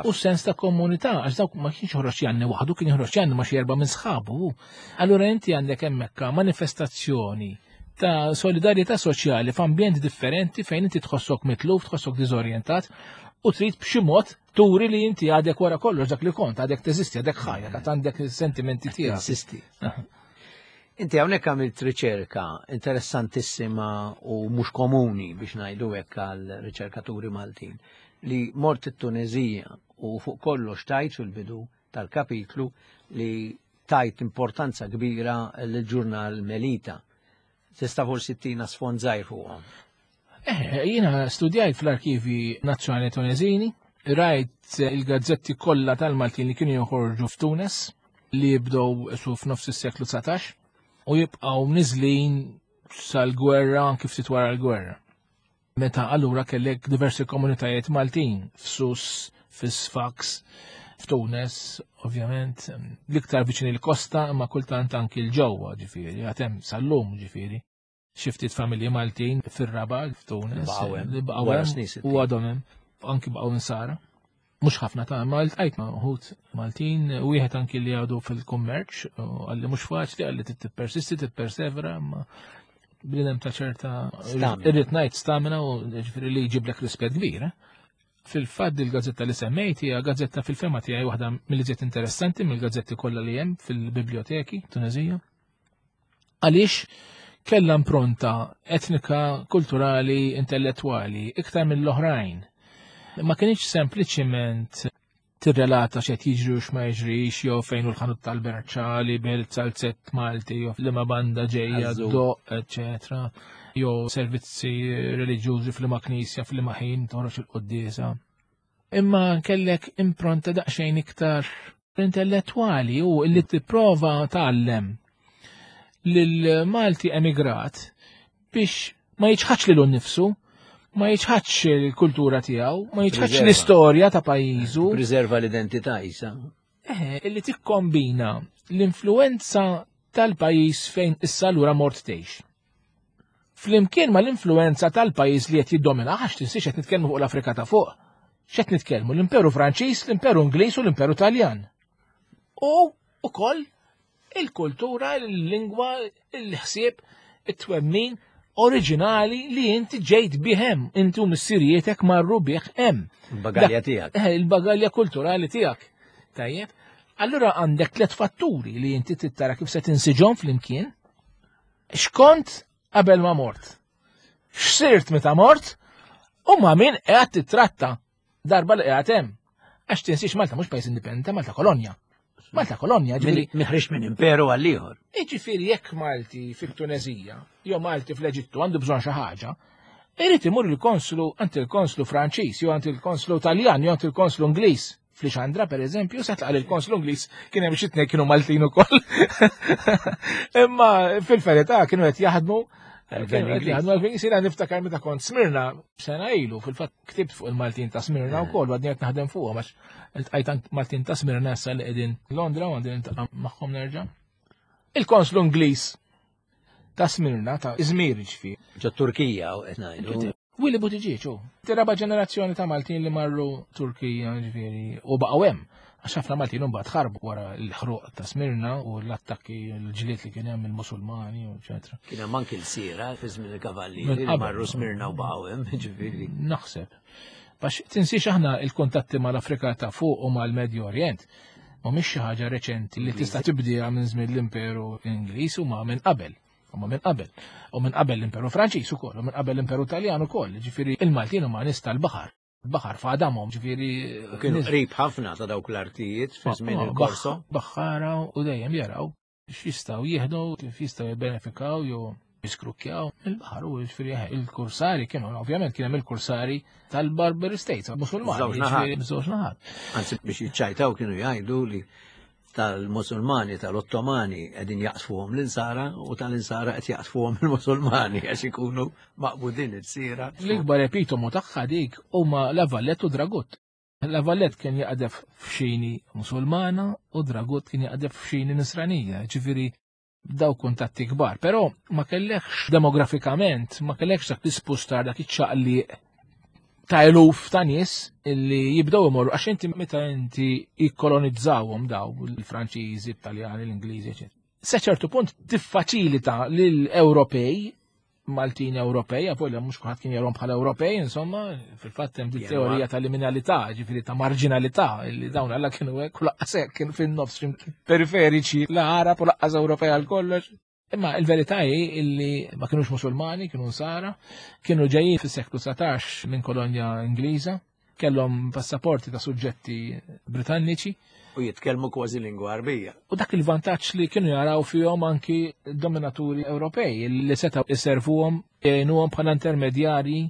u sens ta' komunità, għax dawk ma kienx joħroġ janni waħdu, kien joħroġ janni ma xi erba' minn sħabu. Allura inti għandek hemmhekk manifestazzjoni ta' solidarjetà soċjali f'ambjent differenti fejn inti tħossok mitluf, tħossok diżorjentat u trid b'xi mod turi li inti għadek wara kollox dak li kont, għadek teżisti, għadek ħajja, għad għandek sentimenti tiegħek. Insisti. Inti hawnhekk għamilt riċerka interessantissima u mhux komuni biex ngħidu hekk għal riċerkaturi Maltin li mort it-Tunezija u fuq kollox tajt fil-bidu tal-kapitlu li tajt importanza kbira l-ġurnal Melita. Tista' forsi tina sfond żgħir fuqhom. Jiena studjajt fl-Arkivi Nazzjonali Tunezini, rajt il-gazzetti kollha tal-Maltin li kienu joħorġu f'Tunes li jibdew su f'nofs is-seklu 19 u jibqgħu niżlin sal-gwerra anki ftit wara l-gwerra. Meta allura kellek diversi komunitajiet Maltin f'Sus, fis-Sfax, f'Tunes, ovvjament, l-iktar viċin il-kosta, imma kultant anki l-ġewwa, ġifieri, għatem sal-lum, ġifieri. Xi ftit familji Maltin fir-Rabat, f'Tunes, li baqgħu hemm u għadhom hemm, anki baqgħu insara. Mhux ħafna ta' ma ltqajt ma' uħud Maltin, wieħed anki li għadu fil-kummerċ, għalli mhux faċli, għalli tippersisti, tippersevera, ma bnidem ta' ċerta irrid ngħid stamina u ġifieri li jġiblek rispett kbir. Eh? Fil-fatt il-gazzetta li semmejt hija gazzetta fil-fema tiegħi waħda mill-iżjed interessanti mill-gazzetti kollha li hemm fil-biblioteki Tunezija. Għaliex kellha impronta etnika, kulturali, intellettwali iktar mill-oħrajn. Ma kienx sempliċiment tirrelata x'qed jiġri u x'ma jiġrix jew fejn hu l-ħanut tal-berċa li bil salzett Malti jew liema banda ġejja doq, eċetera, jew servizzi reliġjużi f'liema knisja f'liema ħin toħroġ il-quddiesa. Imma kellek impronta daqsxejn iktar intellettwali u li tipprova tgħallem lil Malti emigrat biex ma jiċħadx lilu nnifsu, ma jiċħadx il-kultura tiegħu, ma jiċħadx l-istorja ta' pajjiżu. Preserva l-identità isa. Eh, illi tikkombina l-influenza tal-pajjiż fejn issa lura mort tgħix. Flimkien ma l-influenza tal-pajjiż li qed jiddomina, għax tinsiex qed nitkellmu fuq l-Afrika ta' fuq. X'qed nitkellmu? L-Imperu Franċiż, l-Imperu Ingliż u l-Imperu Taljan. U ukoll il-kultura, il-lingwa, il-ħsieb, it-twemmin oriġinali li inti ġejt bih hemm, inti u missirietek marru bih hemm. Il-bagalja tiegħek. Eh, il-bagalja kulturali tiegħek. Tajjeb. Allura għandek tliet fatturi li inti tittara kif se tinsiġhom flimkien. Xkont qabel ma mort? X'sirt meta mort? U ma' min qiegħed titratta darba li qiegħed hemm. Għax tinsiex Malta mhux pajjiż indipendenti, Malta kolonja. Malta kolonja, ġifieri. Miħrix minn imperu għal ieħor. Jiġifieri jekk Malti fit-Tunezija jew Malti fl-Eġittu għandu bżonn xi ħaġa, irid imur il-konslu għand il-konslu Franċiż jew għand il-konslu Taljan jew għand il-konslu Ingliż. Fl-Ixandra, per eżempju, se tlaqal il-konslu Ingliż kien hemm xi tnejn kienu Maltin ukoll. Imma fil-verità kienu qed jaħdmu Għal-gvern Sina niftakar meta kont Smirna sena ilu, fil-fatt ktibt fuq il-Maltin ta' Smirna eh. wkoll għadni qed naħdem fuqha għax iltqajt Maltin ta' Smirna issa li qegħdin Londra u għandi niltaqa' magħhom nerġa'. Il-konslu Ingliż ta' Smirna ta' Izmir ġifieri. Ġo Turkija u qed ngħidu. Willy Buttigieg hu. Raba ġenerazzjoni ta' Maltin li marru Turkija ġifieri u baqgħu hemm. Għax ħafna Maltin imbagħad ħarbu wara l-ħruq ta' Smirna u l-attakki l-ġlied li kien hemm il-Musulmani, eċetera. Kien hemm anki l-sira fi żmien il-kavallieri li marru Smirna u baqgħu hemm, ġifieri. Naħseb. Bax tinsiex aħna il-kuntatti mal-Afrika ta' fuq u mal-Medju Orjent mhumiex xi ħaġa reċenti li tista' tibdiha minn żmien l-Imperu Ingliż u ma' minn qabel. U ma minn qabel. U minn qabel l-Imperu Franċiż ukoll, u minn qabel l-Imperu Taljan ukoll. Ġifieri il-Maltin huma nies tal-baħar. Baħar f'għadamhom, ġifieri. U kienu qrib ħafna ta' dawk l-artijiet fi żmien il-Korso. Baħħara u dejjem jaraw x'jistgħu jieħdu, kif jistgħu jibbenefikaw jew jiskrukkjaw il-baħar u ġifieri eh, il-kursari kienu ovvjament kien hemm il-kursari tal-Barber States, Musulmani, żewġ naħat. Anzi biex jiċċajtaw kienu jgħidu li tal-Musulmani, tal-Ottomani qegħdin jaqsfuhom l-insara u tal-insara qed jaqsfuhom il-Musulmani għax ikunu maqbudin it-sira. L-ikbar epitomu tagħha dik huma La Vallette u Dragut. La Vallette kien jaqdef f'xini Musulmana u Dragut kien jaqdef f'xini Nisranija, ġifieri daw kuntatti kbar, però ma kellekx demografikament, ma kellekx dak l-ispustar, dak iċ-ċaqliq ta' eluf ta' nies illi jibdew imorru għax inti meta inti jikkolonizzawhom daw il-Franċiżi, it-Taljani, l-Ingliżi, eċetera. Se ċertu punt tiffaċilita lil Ewropej Maltin Ewropej, avolja mhux kulħadd kien jarhom bħala Ewropej, insomma, fil-fatt hemm din teorija tal-liminalità, ġifieri ta' marġinalità, li dawn alla kienu hekk u laqqas hekk kienu fin-nofs periferiċi, la Arab u laqqas Ewropej għal kollox. Imma il-verità hi illi ma kienux Musulmani, kienu Nsara, kienu ġejjin fis-seklu 19 minn kolonja Ingliża, kellhom passaporti ta' suġġetti Britanniċi. U jitkellmu kważi lingwa Arbija. U dak il-vantaġġ li kienu jaraw fihom anki dominaturi Ewropej li setgħu iservuhom jgħinuhom bħala intermedjarji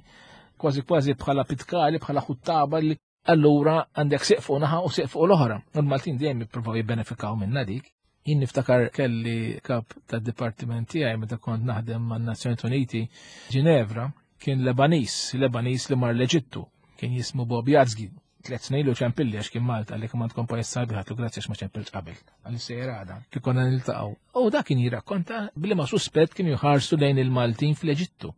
kważi kważi bħala pitkali, bħala ħuttaba li allura għandek siq fuq naħa u siq fuq l-oħra. U l-Maltin dejjem jippruvaw jibbenefikaw minna dik. Jien niftakar kelli kap tad-dipartiment tiegħi meta kont naħdem man-Nazzjonijiet Uniti Ginevra. Kien Lebanis, Lebanis li mar l-Eġittu, kien jismu Bob Jazgi, tlet snin ilu ċempilli għax kien Malta li kien tkun pajjiż sabiħ għatlu grazzi għax ma ċempilx qabel. Għalli sejjer għada, kif konna niltaqgħu. U dak kien jirrakkonta bli ma suspett kienu jħarsu lejn il-Maltin fl-Eġittu.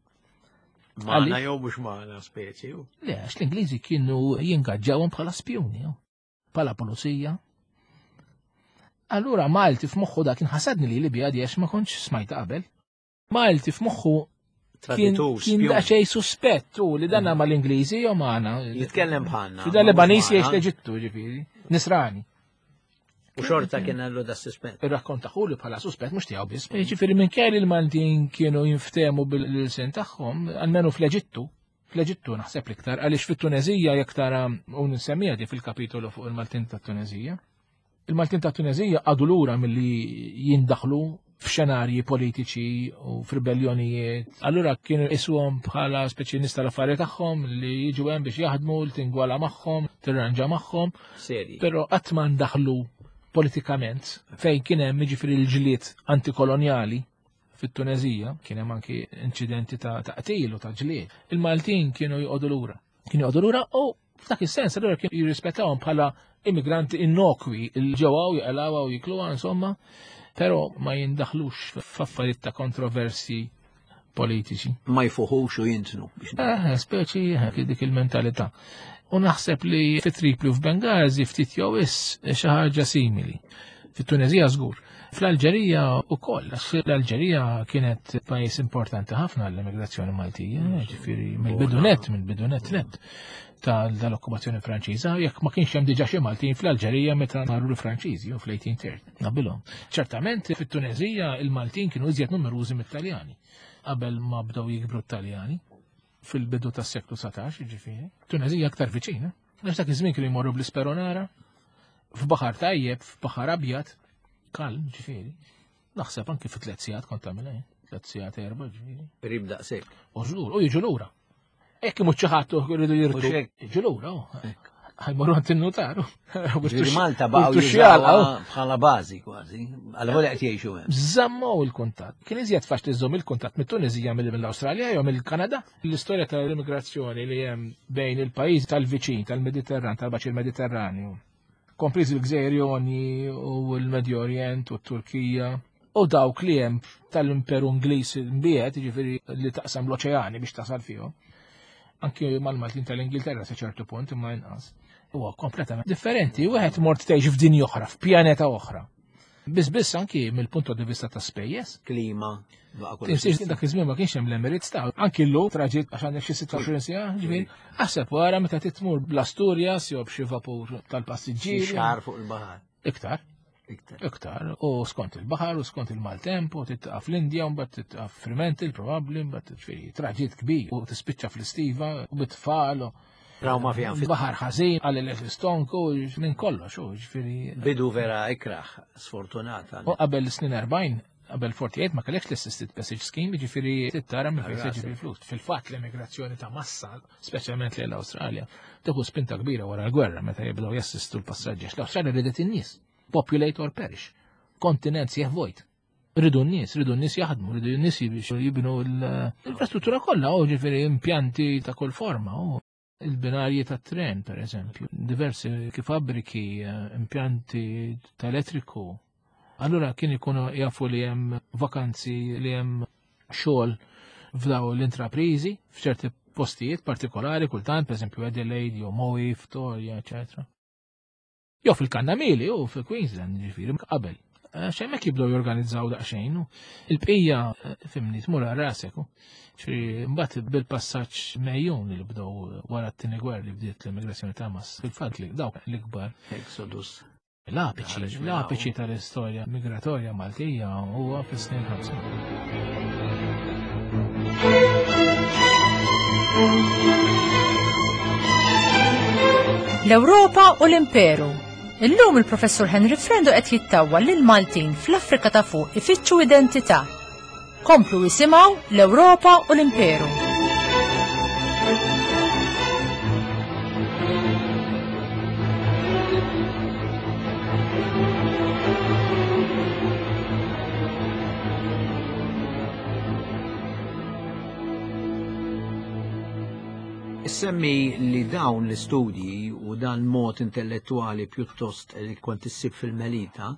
Magħna jew mhux magħna speċi. Le, għax l-Ingliżi kienu jingaġġawhom bħala spjuni, bħala pulizija. Allura Malti f'moħħu dak kien ħasadni li Libja di għax ma kontx smajta qabel. Malti f'moħħu kien daqsxejn suspett u li danna mm. mal-Ingliżi jew magħna. Jitkellem bħalna. Da Lebanis jgħix l-Eġittu ġifieri, Nisrani. U xorta kien għallu da suspett. Ir-rakkonta li bħala suspett mhux tiegħu biss. Ġifieri minn kelli l-Maltin kienu jinftehmu bil-sen tagħhom, almenu fl-Eġittu, fl-Eġittu naħseb l-iktar, għaliex fit-Tunezija jekk tara u nsemmija di fil-kapitolu fuq il-Maltin tat-Tunezija. Il-Maltin ta' Tunezija għadu lura milli jindaħlu f'xenarji politiċi u f'ribellionijiet. Allura kienu isuhom bħala speċi nies tal-affarijiet tagħhom li jiġu hemm biex jaħdmu, li tingwala magħhom, tirranġa magħhom. Però qatt ma ndaħlu politikament fejn kien hemm jiġifieri l-ġlied antikolonjali fit-Tunezija, kien hemm anki inċidenti ta' qtil u ta' ġlied. Il-Maltin kienu joqogħdu lura. Kienu joqogħdu lura u F'dak is-sens allura kien jirrispettawhom bħala immigranti innokwi il ġewwa u jaqalawha u jikluha insomma, però ma jindaħlux f'affarijiet ta' kontroversi politiċi. Ma jfuħux u jintnu. Eh, speċi eh, dik il-mentalità. U naħseb li fi Tripli u f'Bengazi ftit jew is xi ħaġa simili. Fit-Tunezija żgur. Fl-Alġerija ukoll, għax l-Alġerija kienet pajjiż importanti ħafna għall-immigrazzjoni Maltija, ġifieri mill-bidunet, mill-bidunet net tal-okkupazzjoni Franċiża, jekk ma kienx hemm diġà xi Maltin fl-Alġerija meta marru l-Franċiżi u fl-1830 qabilhom. Ċertament fit-Tunezija il-Maltin kienu iżjed numerużi mit-Taljani qabel ma bdew jikbru t-Taljani fil-bidu tas-seklu 19, ġifieri. Tunezija aktar viċina. Għax dak iż-żmien kienu jmorru bl-isperonara, f'baħar tajjeb, f'baħar abjad, kalm, ġifieri. Naħseb anki fi tliet sigħat kont tagħmilha, eh? tliet sigħat erba' ġifieri. Qrib daqshekk. U żgur, u jiġu lura. Hekk imut xi ħadd jridu jirtu. Jiġu lura, oh. Ħajmorru għand in-notaru. Ġifieri Malta baqgħu jużawha bħala bażi kważi, għal volja qed jgħixu hemm. Żammaw il-kuntatt. Kien iżjed faċli żżomm il-kuntatt mit-Tunisija milli mill-Awstralja jew mill-Kanada. L-istorja tal-immigrazzjoni li hemm bejn il-pajjiż tal-viċin tal-Mediterran, tal-Baċir Mediterranju, kompriż il-Gżejjer Joni u l-Medju Orjent u t-Turkija, u dawk li hemm tal-Imperu Ingliż imbiegħed, jiġifieri li taqsam l-oċeani biex tasal fihom. Anki mal-Maltin tal-Ingilterra sa ċertu punt imma inqas. Huwa kompletament differenti, wieħed mort tgħix f'dinja oħra, f'pjaneta oħra. Biss biss anki mill-punt di vista ta' spejjeż. Klima. Tinsiex dak iż-żmien ma kienx hemm l-Emirates ta' anki llum traġit għax għandek xi 26 siegħa, ġifieri. Aħseb wara meta titmur bl-Asturias jew b'xi vapur tal-passiġġieri. Xahar fuq il-baħar. Iktar. Iktar. Iktar, u skont il-baħar, u skont il-maltemp, u titqa' fl-Indja, u mbagħad titqa' Fremantle probabbli, mbagħad ġifieri traġit kbir, u tispiċċa fl-istiva, u bit-tfal, u Trauma fiha nfisha. Baħar ħażin, għal l-istonku, minn kollox, u ġifieri. Bidu vera ikraħ, sfortunata. U qabel snin 40, qabel 48 ma kellekx l-assisted passage scheme, ġifieri tittara minn fejn se ġib il-flus. Fil-fatt l-immigrazzjoni ta' massa, speċjalment lejn l-Awstralja, tieħu spinta kbira wara l-gwerra meta jibdew jassistu l-passaġġi. L-Awstralja ridet in-nies. Populate or perish. Kontinent sieħ vojt. Ridu n-nies, ridu n-nies jaħdmu, ridu n-nies biex jibnu l-infrastruttura kollha, u ġifieri impjanti ta' kull forma, u il-binarji ta' tren, per eżempju, diversi fabbriki, eh, impjanti ta' elettriku. Allura kien ikunu jafu li hemm vakanzi, li hemm xogħol f'daw l-intraprizi f'ċerti postijiet partikolari kultant, per eżempju Adelaide jew Moe, Victoria, eccetera. Jew fil-Kannamili u fil-Queensland, ġifieri qabel. Għax hemmhekk jibdew jorganizzaw daqsxejn. Il-bqija eh, fimni tmur għal rasek. Ġifieri mbagħad bil-passaġġ mejjun li bdew wara t-tieni gwerra li bdiet l-immigrazzjoni ta' mass. Fil-fatt li dawk l-ikbar. Exodus. L-apiċi, l-apiċi tal-istorja migratorja Maltija huwa fis-snin 50. L-Ewropa u l-Imperu. Illum il-Professur Henry Frendo qed jittawwa lil Maltin fl-Afrika ta' fuq ifittxu identità. Komplu isimgħu l-Ewropa u l-Imperu. Issemmi li dawn l-istudji u dan mod intellettuali pjuttost li kont issib fil-Melita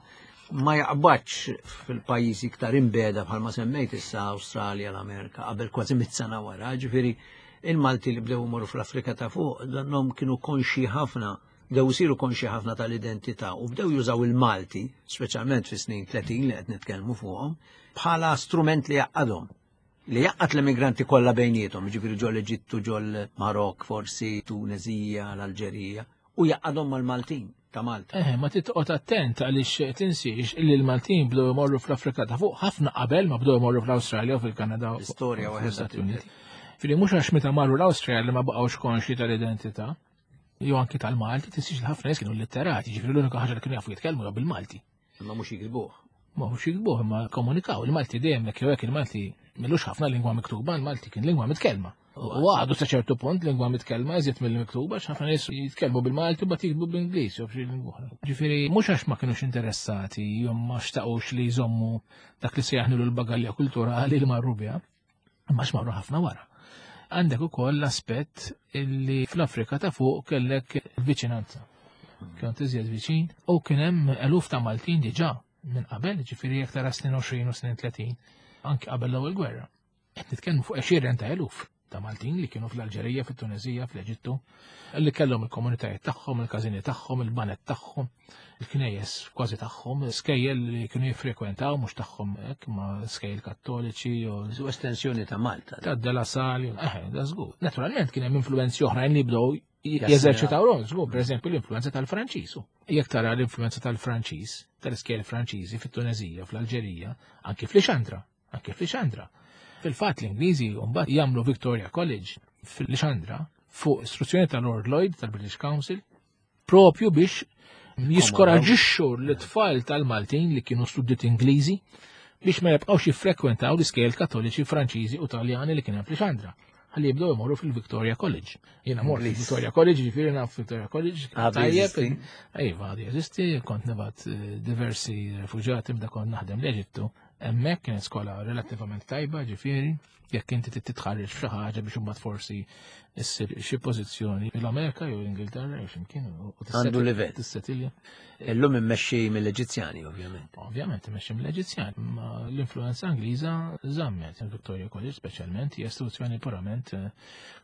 ma jaqbadx fil-pajjiżi iktar imbeda bħalma semmejt issa Awstralja, l-Amerika, qabel kważi mit sena wara, ġifieri il-Malti li bdew imorru fl-Afrika ta' fuq, dannhom kienu konxi ħafna, bdew isiru konxi ħafna tal-identità u bdew jużaw il-Malti, speċjalment fis-snin 30 li qed nitkellmu fuqhom, bħala strument li jaqadhom li jaqqat l-immigranti kollha bejniethom, ġifieri ġol Eġittu, ġol Marok, forsi Tunezija, l-Alġerija, u jaqqadhom mal-Maltin ta' Malta. Eh, ma titqgħod attent għaliex tinsiex li l-Maltin bdew imorru fl-Afrika ta' fuq ħafna qabel ma bdew imorru fl-Awstralja u fil-Kanada. L-istorja waħedha Uniti. Fili mhux għax meta marru l-Awstralja li ma baqgħux konxji tal-identità, jew anki tal-Malti, tinsiex li ħafna nies kienu litterati, ġifieri l-unika ħaġa li kienu jafu jitkellmu bil-Malti. Imma mhux jiktbuh. Ma mhux jiktbuh, imma komunikaw. Il-Malti dejjem hekk jew hekk il-Malti millux ħafna lingwa miktuba, il-Malti kien lingwa mitkellma. U għadu sa ċertu punt lingwa mitkellma iżjed mill-miktuba, ħafna nies jitkellmu bil-Malti u jiktbu bl-Ingliż jew b'xi lingwa oħra. Ġifieri mhux għax ma kinux interessati jew ma xtaqux li jżommu dak li sejjaħnu l-bagalja kulturali li marru biha, imma x'marru ħafna wara. Għandek ukoll l-aspett li fl-Afrika ta' fuq kellek viċinanza. Kont iżjed viċin u kien hemm eluf ta' Maltin diġà minn qabel, ġifieri jekk tara snin 20 u snin 30, anke qabel l-ewwel gwerra. Qed nitkellmu fuq għexieren ta' eluf ta' Maltin li kienu fl-Alġerija, fit-Tunezija, fl-Eġittu, li kellhom il-komunitajiet tagħhom, il-każini tagħhom, il-banet tagħhom, il-knejjes kważi tagħhom, skejjel li kienu jiffrekwentaw mhux tagħhom hekk ma skejjel kattoliċi u estensjoni ta' Malta. Ta' De La Salle, eh, da żgur. Naturalment kien hemm influenzi oħrajn li bdew jeżerċitaw rol, żgur, pereżempju l-influenza tal-Franċiż. Jekk tara l-influenza tal-Franċiż, tal-iskejjel Franċiżi fit-Tunezija, fl-Alġerija, anki fl-Ixandra, anki fl-Ixandra. Fil-fatt l-Ingliżi mbagħad jagħmlu Victoria College fil-Ixandra fuq istruzzjoni tal-Lord Lloyd tal-British Council propju biex jiskoraġixxu l-tfal tal-Maltin li kienu studiti Ingliżi biex ma jibqgħux jiffrekwentaw l-iskejjel Kattoliċi Franċiżi u Taljani li kien hemm fl-Ixandra. Ħalli jibdew imorru fil-Victoria College. Jiena mort fil-Victoria College, ġifieri naf Victoria College. Tajjeb. Iva, għadu jeżisti, kont nibgħat eh, diversi refuġati meta kont naħdem l-Eġittu. Hemmhekk kienet skola relattivament tajba, ġifieri, jekk inti trid titħarreġ f'xi ħaġa biex imbagħad forsi issir xi pożizzjoni l-Amerika jew l-Ingilterra jew x'imkien u Għandu livell. Tissetilja. Illum immexxi mill-Eġizzjani, ovvjament. Ovvjament immexxi mill-Eġizzjani, ma l-influenza Ingliża żammet il-Victoria College speċjalment hija istituzzjoni purament eh,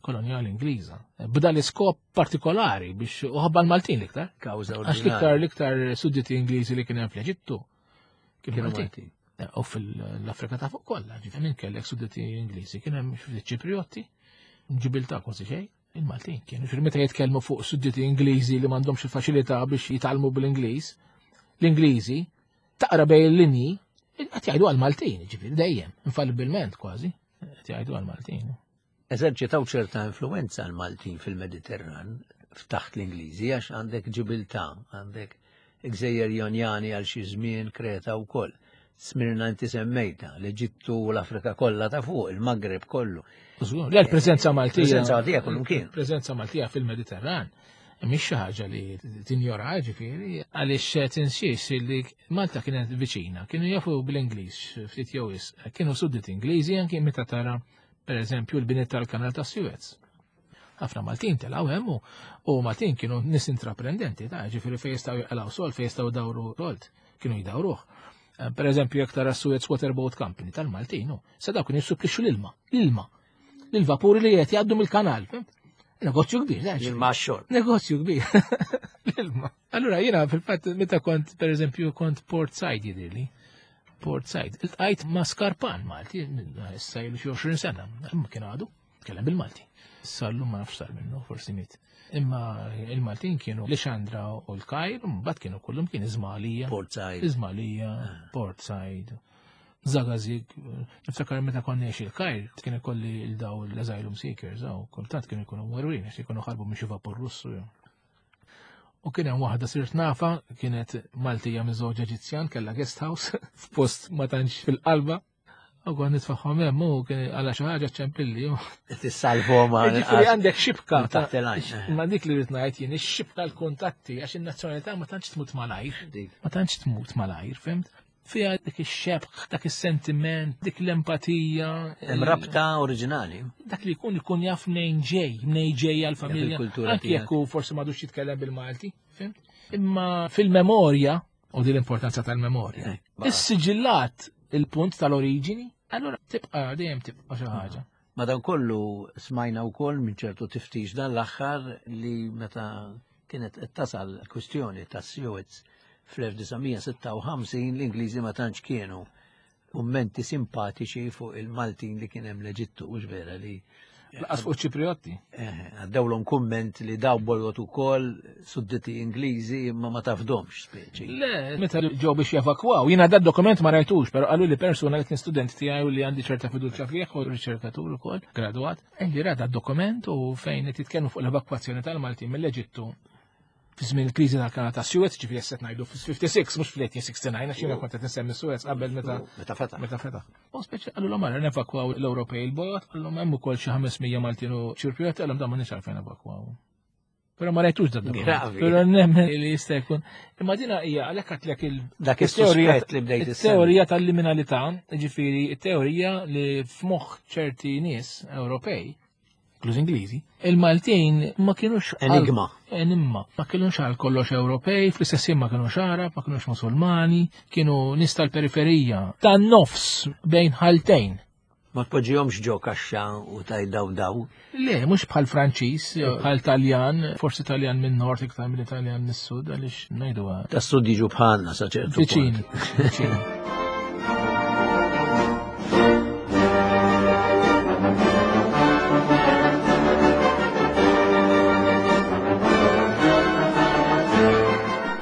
kolonjali Ingliża. B'da l-iskop partikolari biex uħabba l-Maltin l-iktar. Kawża Għax l-iktar l-iktar sudditi Ingliżi li kien hemm fl-Eġittu kienu Maltin. Eh, u fil-Afrika ta' fuq kollha, ġifieri minn kellek sudditi Ingliżi, kien hemm xi Ċipriotti, ġibilta kważi xejn, il-Maltin kienu. Ġifieri meta jitkellmu fuq sudditi Ingliżi li m'għandhomx il-faċilità biex jitgħallmu bl-Ingliż, l-Ingliżi taqra bej il-linji qed jgħidu għall-Maltin, ġifieri dejjem, infallibilment kważi, qed jgħidu għall-Maltin. Eżerċitaw ċerta influenza l-Maltin fil-Mediterran f'taħt l-Ingliżi għax għandek Ġibiltà, għandek Gżejjer Jonjani għal xi żmien Kreta wkoll. Smirna inti semmejta, l-Eġittu u l-Afrika kollha ta' fuq, il-Maghreb kollu. Le, l-preżenza Maltija. Preżenza Maltija kullum kien. Preżenza Maltija fil-Mediterran mhix xi ħaġa li tinjora ġifieri għaliex tinsiex li Malta kienet viċina, kienu jafu bl-Ingliż ftit jew kienu sudditi Ingliżi anki meta tara Per eżempju, l-bini tal-kanal ta' Suez. Ħafna Maltin telgħu hemm u Maltin kienu nis intraprendenti, ta' ġifieri fejn jistgħu jaqalgħu sol, fejn jistgħu dawru rolt, kienu jdawruh. Eh, per eżempju, jekk tara Suez Waterboat Company tal-Maltin, sa dawk kienu jissuplixxu l-ilma, l-ilma, l-vapuri li qed jgħaddu mill-kanal. Negozju kbir, L-ilma xorb. Negozju kbir. L-ilma. Allura jiena fil-fatt meta kont per eżempju kont Port Said jidhirli. Port Said. Iltqajt ma' Skarpan Malti, issa ilu xi 20 sena, imma kien għadu, tkellem bil-Malti. Issa llum ma nafx sar minnu, forsi miet. Imma il-Maltin kienu Lixandra u l-Kajr, mbagħad kienu kullum kien Iżmalija. Port Said. Iżmalija, ah. Port Said. Zagazig, niftakar meta konna il-Kajr, kien ikolli il-daw l-asylum seekers, aw, kultant kienu jkunu mwerwin, għax jkunu ħarbu minn xi vapur Russu. U kien hemm waħda sirt nafa, kienet Maltija minn żewġ Eġizzjan, kellha guest house f'post ma tantx fil-qalba. U kont nitfaħħom hemm u kien għala xi ħaġa ċempilli. Tissalvhom għal. Ġifieri għandek xibka. Taħt il-għajn. Ma dik li rrid ngħid jien ix-xibka l-kuntatti għax in-nazzjonalità ma tantx tmut malajr. Ma tantx tmut malajr, fimt? Fiha dik ix-xebħ, dak is-sentiment, dik l-empatija. Hemm rabta oriġinali. Dak li jkun ikun jaf mnejn ġej, mnejn ġej għall-familja. Anki jekk hu forsi m'għadux jitkellem bil-Malti, fimt? Imma fil-memorja, u din l-importanza tal-memorja. Eh, Is-siġillat il-punt tal-oriġini, allura tibqa' dejjem tibqa' xi ħaġa. Madankollu smajna wkoll minn ċertu tiftix dan l-aħħar li meta kienet qed tasal kwistjoni tas-Suez fl-1956 l-Ingliżi ma tantx kienu kummenti simpatiċi fuq il-Maltin li kien hemm l-Eġittu, mhux vera li Laqas fuq Ċipriotti. Eh, għaddewlhom kumment li daw bolot ukoll sudditi Ingliżi imma ma tafdomx speċi. Le, meta ġew biex jevakwaw, jiena da dokument ma rajtux, però qalu li persuna li kien student tiegħi u li għandi ċerta fiduċja fih u riċerkatur ukoll, gradwat, li ra dokument u fejn qed jitkellmu fuq l-evakwazzjoni tal-Maltin mill-Eġittu fi żmien il-kriżi tal-Kanal ta' Suez, ġifieri qed ngħidu fil-56 mhux fl-1869 għax jiena kont qed insemmi Suez qabel meta meta fetaħ. Meta fetaħ. U speċi qalulhom ara nevakwaw l-Ewropej il-bogħod, qalulhom hemm ukoll xi 500 Maltin u Ċirpjot, qalhom dan m'għandniex għalfejn evakwaw. Però ma rajtux dan dokument. Però nemmen li jista' jkun. Imma dina hija għalhekk għatlek il Dak is-teorija li bdejt Teorija tal-liminalità, ġifieri teorija li f'moħħ ċerti nies Ewropej inkluż Ingliżi, il-Maltin ma kienux enigma. Enigma. Ma kienux għal kollox Ewropej, fl-istess ma kienux Arab, ma kienux Musulmani, kienu nies tal-periferija, tan-nofs bejn ħaltejn. Ma tpoġġihomx ġo kaxxa u tajt daw daw. Le, mhux bħal Franċiż, bħal Taljan, forsi Taljan minn nord iktar minn Italjan mis-sud, għaliex ngħidu. Tas-sud jiġu bħalna sa ċertu. Viċin. Viċin.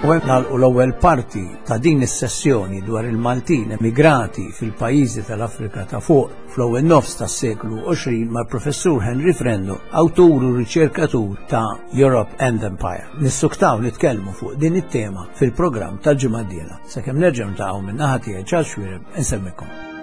U hemm nagħlqu l-ewwel parti ta' din is-sessjoni dwar il-Maltin emigrati fil-pajjiżi tal-Afrika ta' fuq fl-ewwel nofs tas-seklu 20 mal-Professur Henry Frendo, awtur u riċerkatur ta' Europe and Empire. Nissuktaw nitkellmu fuq din it-tema fil-programm tal-ġimgħa d-dieħla. Sakemm nerġgħu niltaqgħu minn naħa tiegħi Charles Xuereb inselmikom.